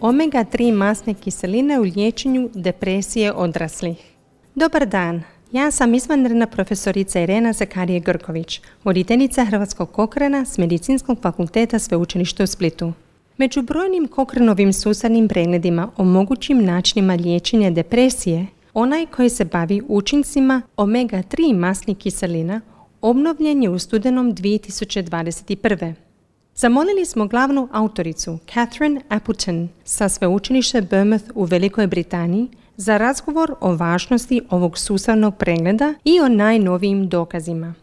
omega-3 masne kiseline u liječenju depresije odraslih. Dobar dan, ja sam izvanredna profesorica Irena Zakarije-Grković, voditeljica Hrvatskog Cochrana s Medicinskog fakulteta Sveučilišta u Splitu. Među brojnim Cochranovim sustavnim pregledima o mogućim načinima liječenja depresije, onaj koji se bavi učincima omega-3 masnih kiselina obnovljen je u studenom 2021. Zamolili smo glavnu autoricu Catherine Appleton sa sveučilišta Bournemouth u Velikoj Britaniji za razgovor o važnosti ovog sustavnog pregleda i o najnovijim dokazima.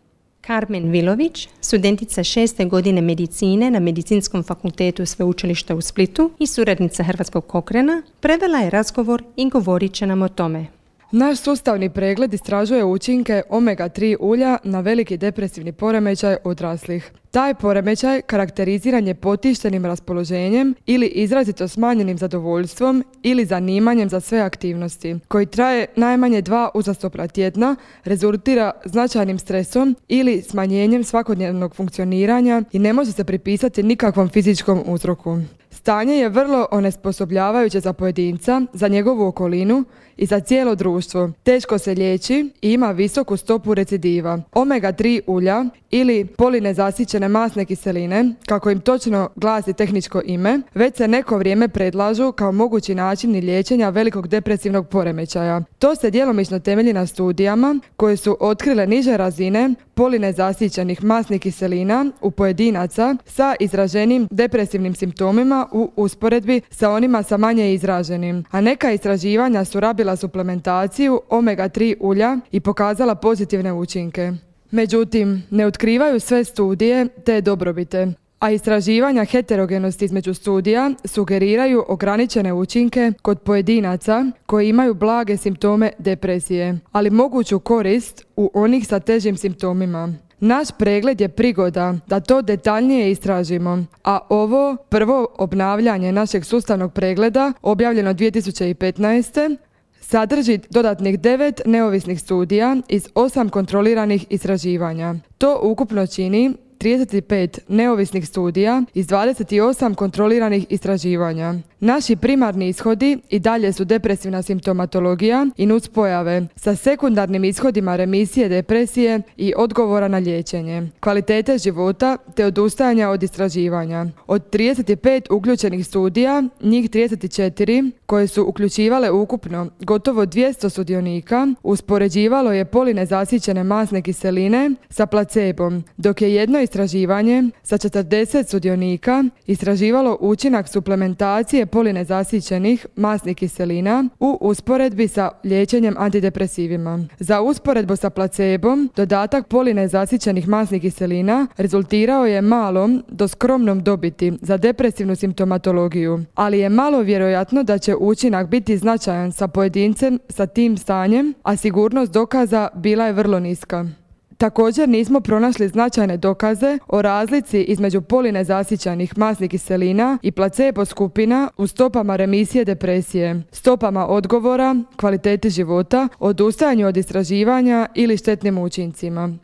Carmen Vilović, studentica 6. godine medicine na Medicinskom fakultetu Sveučilišta u Splitu i suradnica Hrvatskog Cochrana, prevela je razgovor i govorit će nam o tome. Naš sustavni pregled istražuje učinke omega-3 ulja na veliki depresivni poremećaj odraslih. Taj poremećaj karakteriziran je potištenim raspoloženjem ili izrazito smanjenim zadovoljstvom ili zanimanjem za sve aktivnosti, koji traje najmanje 2 uzastopna tjedna, rezultira značajnim stresom ili smanjenjem svakodnevnog funkcioniranja i ne može se pripisati nikakvom fizičkom uzroku. Stanje je vrlo onesposobljavajuće za pojedinca, za njegovu okolinu i za cijelo društvo. Teško se liječi i ima visoku stopu recidiva. Omega-3 ulja ili polinezasićene masne kiseline, kako im točno glasi tehničko ime, već se neko vrijeme predlažu kao mogući način liječenja velikog depresivnog poremećaja. To se djelomično temelji na studijama koje su otkrile niže razine polinezasićenih masnih kiselina u pojedinaca sa izraženim depresivnim simptomima u usporedbi sa onima sa manje izraženim, a neka istraživanja su rabila suplementaciju omega-3 ulja i pokazala pozitivne učinke. Međutim, ne otkrivaju sve studije te dobrobite, a istraživanja heterogenosti između studija sugeriraju ograničene učinke kod pojedinaca koji imaju blage simptome depresije, ali moguću korist u onih sa težim simptomima. Naš pregled je prigoda da to detaljnije istražimo, a ovo prvo obnavljanje našeg sustavnog pregleda, objavljeno 2015. sadrži dodatnih 9 neovisnih studija iz 8 kontroliranih istraživanja. To ukupno čini 35 neovisnih studija iz 28 kontroliranih istraživanja. Naši primarni ishodi i dalje su depresivna simptomatologija i nuspojave sa sekundarnim ishodima remisije depresije i odgovora na liječenje, kvalitete života te odustajanja od istraživanja. Od 35 uključenih studija, njih 34 koje su uključivale ukupno gotovo 200 sudionika, uspoređivalo je polinezasićene masne kiseline sa placebom, dok je jedno istraživanje sa 40 sudionika istraživalo učinak suplementacije polinezasićenih masnih kiselina u usporedbi sa liječenjem antidepresivima. Za usporedbu sa placebom, dodatak polinezasićenih masnih kiselina rezultirao je malom do skromnom dobiti za depresivnu simptomatologiju, ali je malo vjerojatno da će učinak biti značajan sa pojedincem sa tim stanjem, a sigurnost dokaza bila je vrlo niska. Također nismo pronašli značajne dokaze o razlici između polinezasićenih masnih kiselina i placebo skupina u stopama remisije depresije, stopama odgovora, kvaliteti života, odustajanju od istraživanja ili štetnim učincima.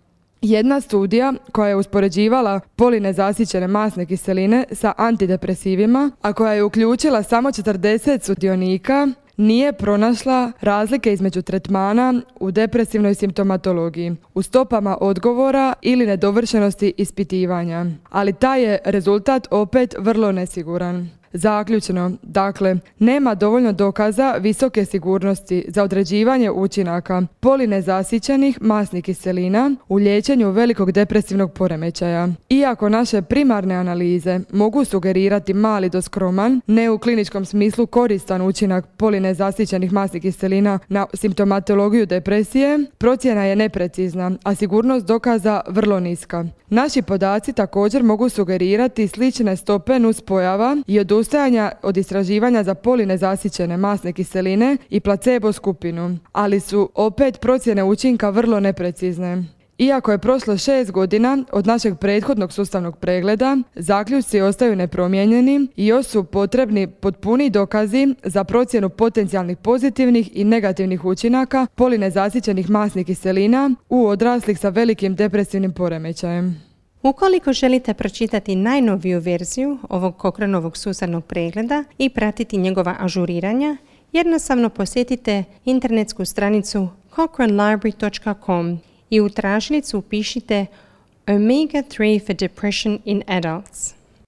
Jedna studija koja je uspoređivala polinezasićene masne kiseline sa antidepresivima, a koja je uključila samo 40 sudionika, nije pronašla razlike između tretmana u depresivnoj simptomatologiji, u stopama odgovora ili nedovršenosti ispitivanja. Ali taj je rezultat opet vrlo nesiguran. Zaključno, dakle, nema dovoljno dokaza visoke sigurnosti za određivanje učinaka polinezasićenih masnih kiselina u liječenju velikog depresivnog poremećaja. Iako naše primarne analize mogu sugerirati mali do skroman, ne u kliničkom smislu koristan učinak polinezasićenih masnih kiselina na simptomatologiju depresije, procjena je neprecizna, a sigurnost dokaza vrlo niska. Naši podaci također mogu sugerirati slične stope nuspojava i odustajanja od istraživanja za polinezasićene masne kiseline i placebo skupinu, ali su opet procjene učinka vrlo neprecizne. Iako je prošlo 6 godina od našeg prethodnog sustavnog pregleda, zaključci ostaju nepromijenjeni i još su potrebni potpuni dokazi za procjenu potencijalnih pozitivnih i negativnih učinaka polinezasićenih masnih kiselina u odraslih sa velikim depresivnim poremećajem. Ukoliko želite pročitati najnoviju verziju ovog Cochranovog sustavnog pregleda i pratiti njegova ažuriranja, jednostavno posjetite internetsku stranicu cochranelibrary.com i u tražilicu upišite Omega 3 for Depression in Adults.